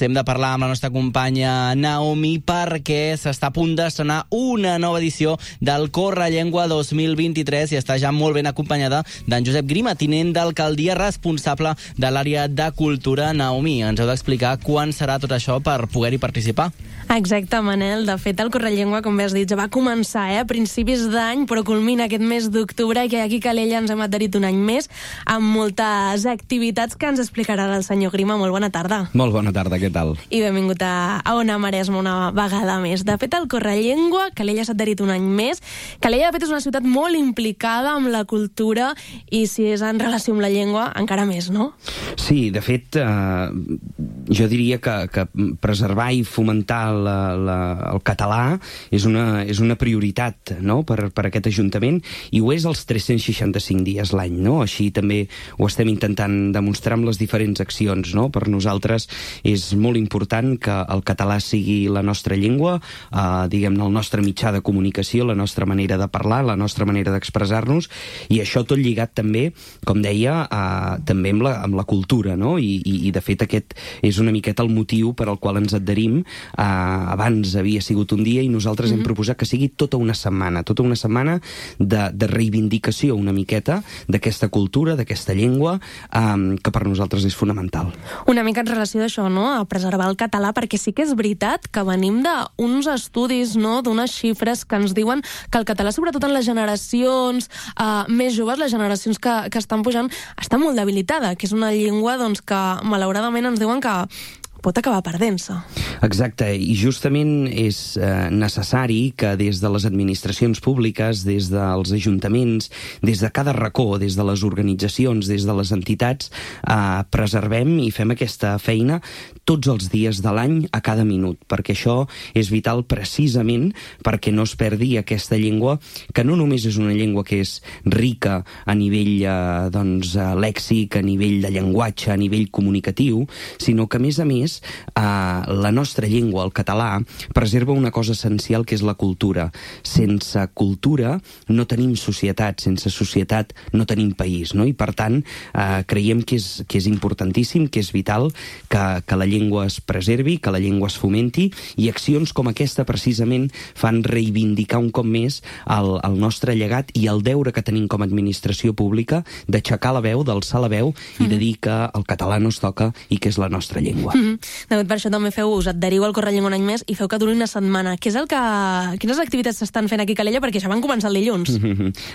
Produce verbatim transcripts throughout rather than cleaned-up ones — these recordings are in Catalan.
Hem de parlar amb la nostra companya Naomi perquè s'està a punt d'estrenar una nova edició del Correllengua dos mil vint-i-tres i està ja molt ben acompanyada d'en Josep Grima, tinent d'alcaldia responsable de l'àrea de cultura. Naomi, ens heu d'explicar quan serà tot això per poder-hi participar. Exacte, Manel. De fet, el Correllengua, com bé has dit, ja va començar eh, a principis d'any, però culmina aquest mes d'octubre i aquí a Calella ens hem adherit un any més amb moltes activitats que ens explicarà el senyor Grima. Molt bona tarda. Molt bona tarda, què tal? I benvingut a, a Ona Maresme una vegada més. De fet, el Correllengua, Calella s'ha adherit un any més. Calella, de fet, és una ciutat molt implicada amb la cultura i si és en relació amb la llengua, encara més, no? Sí, de fet, eh, jo diria que, que preservar i fomentar la, la, el català és una, és una prioritat, no?, per, per aquest Ajuntament, i ho és els tres-cents seixanta-cinc dies l'any, no? Així també ho estem intentant demostrar amb les diferents accions, no? Per nosaltres és molt important que el català sigui la nostra llengua, eh, diguem-ne, el nostre mitjà de comunicació, la nostra manera de parlar, la nostra manera d'expressar-nos, i això tot lligat també, com deia, eh, també amb la, amb la cultura, no? I, i, i de fet aquest és una miqueta el motiu per al qual ens adherim. Eh, abans havia sigut un dia i nosaltres mm-hmm. hem proposat que sigui tota una setmana, tota una setmana de, de reivindicació una miqueta d'aquesta cultura, d'aquesta llengua, eh, que per nosaltres és fonamental. Una mica en relació d'això, no?, a preservar el català, perquè sí que és veritat que venim d'uns estudis, no?, d'unes xifres que ens diuen que el català, sobretot en les generacions eh, més joves, les generacions que, que estan pujant, està molt debilitada, que és una llengua doncs, que malauradament ens diuen que pot acabar perdent-se. Exacte, i justament és eh, necessari que des de les administracions públiques, des dels ajuntaments, des de cada racó, des de les organitzacions, des de les entitats, eh, preservem i fem aquesta feina tots els dies de l'any a cada minut, perquè això és vital precisament perquè no es perdi aquesta llengua, que no només és una llengua que és rica a nivell eh, doncs, lèxic, a nivell de llenguatge, a nivell comunicatiu, sinó que a més a més Uh, la nostra llengua, el català, preserva una cosa essencial que és la cultura. Sense cultura no tenim societat, sense societat no tenim país, no? I per tant uh, creiem que és, que és importantíssim, que és vital que, que la llengua es preservi, que la llengua es fomenti, i accions com aquesta precisament fan reivindicar un cop més el, el nostre llegat i el deure que tenim com a administració pública d'aixecar la veu, d'alçar la veu mm-hmm. i de dir que el català no es toca i que és la nostra llengua. Mm-hmm. De fet, per això també feu, us adheriu al Correllengua un any més i feu que duri una setmana. Què és el que... Quines activitats s'estan fent aquí a Calella? Perquè ja van començar el dilluns.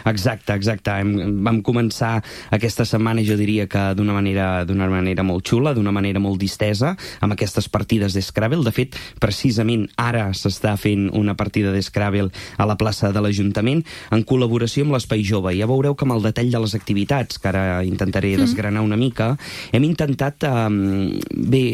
Exacte, exacte. Hem, vam començar aquesta setmana, jo diria que d'una manera, d'una manera molt xula, d'una manera molt distesa, amb aquestes partides d'Scrabble. De fet, precisament ara s'està fent una partida d'Scrabble a la plaça de l'Ajuntament, en col·laboració amb l'Espai Jove. Ja veureu que amb el detall de les activitats, que ara intentaré desgranar una mica, hem intentat, eh, bé,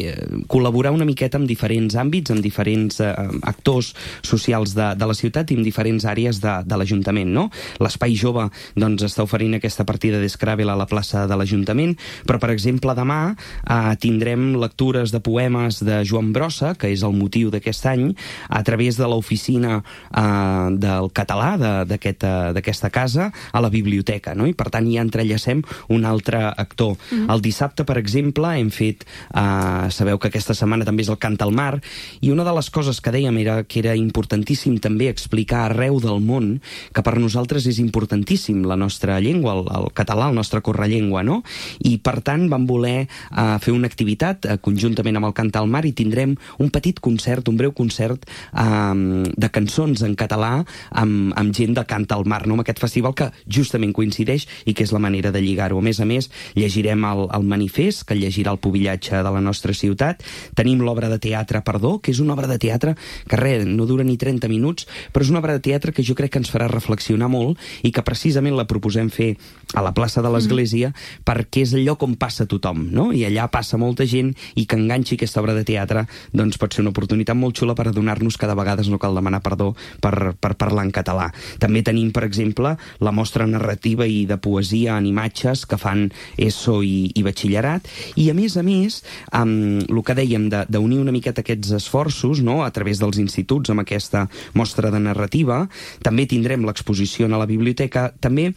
col·laborar una miqueta amb diferents àmbits, amb diferents eh, actors socials de, de la ciutat i amb diferents àrees de, de l'Ajuntament, no? L'Espai Jove doncs, està oferint aquesta partida d'Scrabble a la plaça de l'Ajuntament, però, per exemple, demà eh, tindrem lectures de poemes de Joan Brossa, que és el motiu d'aquest any, a través de l'oficina eh, del català d'aquesta aquest, casa a la biblioteca, no? I, per tant, ja entrellacem un altre actor. Mm-hmm. El dissabte, per exemple, hem fet... Eh, sabeu que aquesta setmana també és el Cant al Mar, i una de les coses que dèiem era que era importantíssim també explicar arreu del món que per nosaltres és importantíssim la nostra llengua, el, el català, el nostre correllengua, no? I per tant vam voler uh, fer una activitat uh, conjuntament amb el Cant al Mar, i tindrem un petit concert, un breu concert um, de cançons en català amb, amb gent de Cant al Mar, no? Amb aquest festival que justament coincideix i que és la manera de lligar-ho. A més a més, llegirem el, el manifest, que llegirà el pubillatge de la nostra ciutat. Tenim l'obra de teatre Perdó, que és una obra de teatre que res, no dura ni trenta minuts, però és una obra de teatre que jo crec que ens farà reflexionar molt i que precisament la proposem fer a la plaça de l'Església mm. perquè és el lloc on passa tothom, no? I allà passa molta gent, i que enganxi aquesta obra de teatre doncs pot ser una oportunitat molt xula per adonar-nos que de vegades no cal demanar perdó per, per parlar en català. També tenim, per exemple, la mostra narrativa i de poesia en imatges que fan ESO i, i batxillerat, i a més a més, amb el que dèiem d'unir una miqueta aquests esforços, no?, a través dels instituts amb aquesta mostra de narrativa. També tindrem l'exposició a la biblioteca. També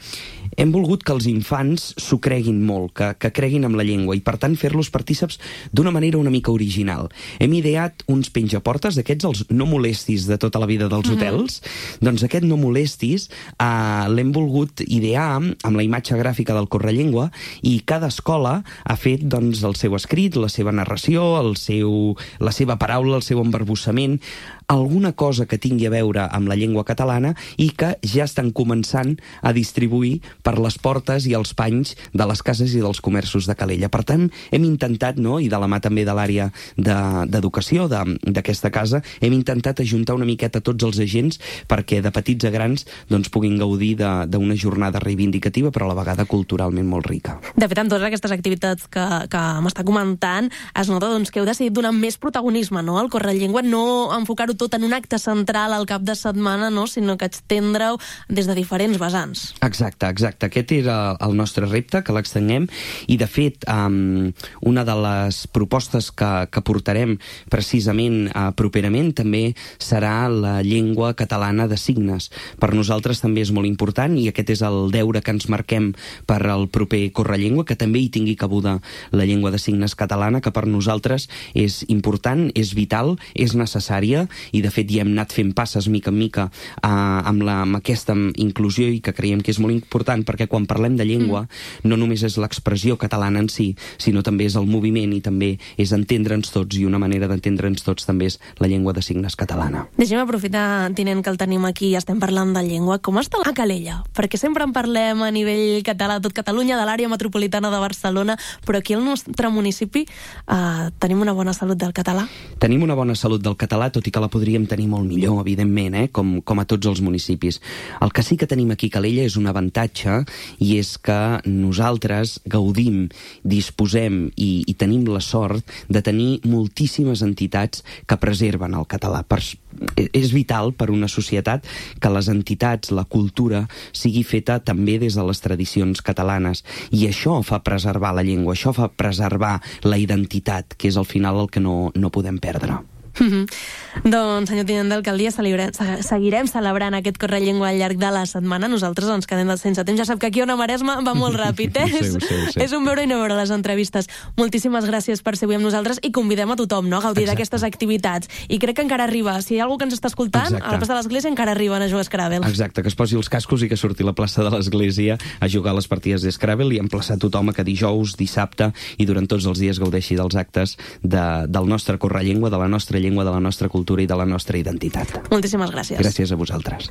hem volgut que els infants s'ho creguin molt, que, que creguin amb la llengua i, per tant, fer-los partíceps d'una manera una mica original. Hem ideat uns penjaportes, d'aquests els no molestis de tota la vida dels mm-hmm. hotels. Doncs aquest no molestis eh, l'hem volgut idear amb la imatge gràfica del Correllengua i cada escola ha fet doncs, el seu escrit, la seva narració, el seu, la seva paraula, el seu embarbussament, alguna cosa que tingui a veure amb la llengua catalana i que ja estan començant a distribuir per les portes i els panys de les cases i dels comerços de Calella. Per tant, hem intentat, no, i de la mà també de l'àrea d'educació de, d'aquesta casa, hem intentat ajuntar una miqueta tots els agents perquè de petits a grans doncs, puguin gaudir d'una jornada reivindicativa però a la vegada culturalment molt rica. De fet, amb totes aquestes activitats que, que m'està comentant, es nota doncs, que heu decidit donar més protagonisme, no?, al Correllengua, no enfocar-ho tot en un acte central al cap de setmana, no?, sinó que estendre-ho des de diferents vessants. Exacte, exacte. Aquest era el nostre repte, que l'extenguem, i de fet, um, una de les propostes que, que portarem precisament uh, properament també serà la llengua catalana de signes. Per nosaltres també és molt important i aquest és el deure que ens marquem per al proper Correllengua, que també hi tingui cabuda la llengua de signes catalana, que per nosaltres és important, és vital, és necessària i de fet ja hem anat fent passes mica en mica eh, amb, la, amb aquesta inclusió i que creiem que és molt important perquè quan parlem de llengua mm. no només és l'expressió catalana en si, sinó també és el moviment i també és entendre'ns tots i una manera d'entendre'ns tots també és la llengua de signes catalana. Deixem aprofitar, tinent, que el tenim aquí i estem parlant de llengua. Com està a Calella? Perquè sempre en parlem a nivell català de tot Catalunya, de l'àrea metropolitana de Barcelona, però aquí al nostre municipi eh, tenim una bona salut del català? Tenim una bona salut del català, tot i que la podríem tenir molt millor, evidentment, eh? com, com a tots els municipis. El que sí que tenim aquí a Calella és un avantatge i és que nosaltres gaudim, disposem i, i tenim la sort de tenir moltíssimes entitats que preserven el català. Per, és vital per una societat que les entitats, la cultura, sigui feta també des de les tradicions catalanes i això fa preservar la llengua, això fa preservar la identitat, que és al final el que no, no podem perdre. Mm-hmm. Doncs, senyor tinent d'alcaldia, seguirem celebrant aquest Correllengua al llarg de la setmana. Nosaltres ens quedem sense temps. Ja sap que aquí a Ona Maresma va molt ràpid, eh? Sí, sí, sí. És un veure i no veure les entrevistes. Moltíssimes gràcies per ser avui amb nosaltres i convidem a tothom, no?, a gaudir d'aquestes activitats. I crec que encara arriba. Si hi ha algú que ens està escoltant, Exacte. A la plaça de l'Església encara arriben a jugar a Scrabble. Exacte, que es posi els cascos i que surti a la plaça de l'Església a jugar a les partides de Scrabble i emplaçar tothom a que dijous, dissabte i durant tots els dies gaudeixi dels actes de, del nostre Correllengua, de la nostra llengua, de la nostra cultura i de la nostra identitat. Moltíssimes gràcies. Gràcies a vosaltres.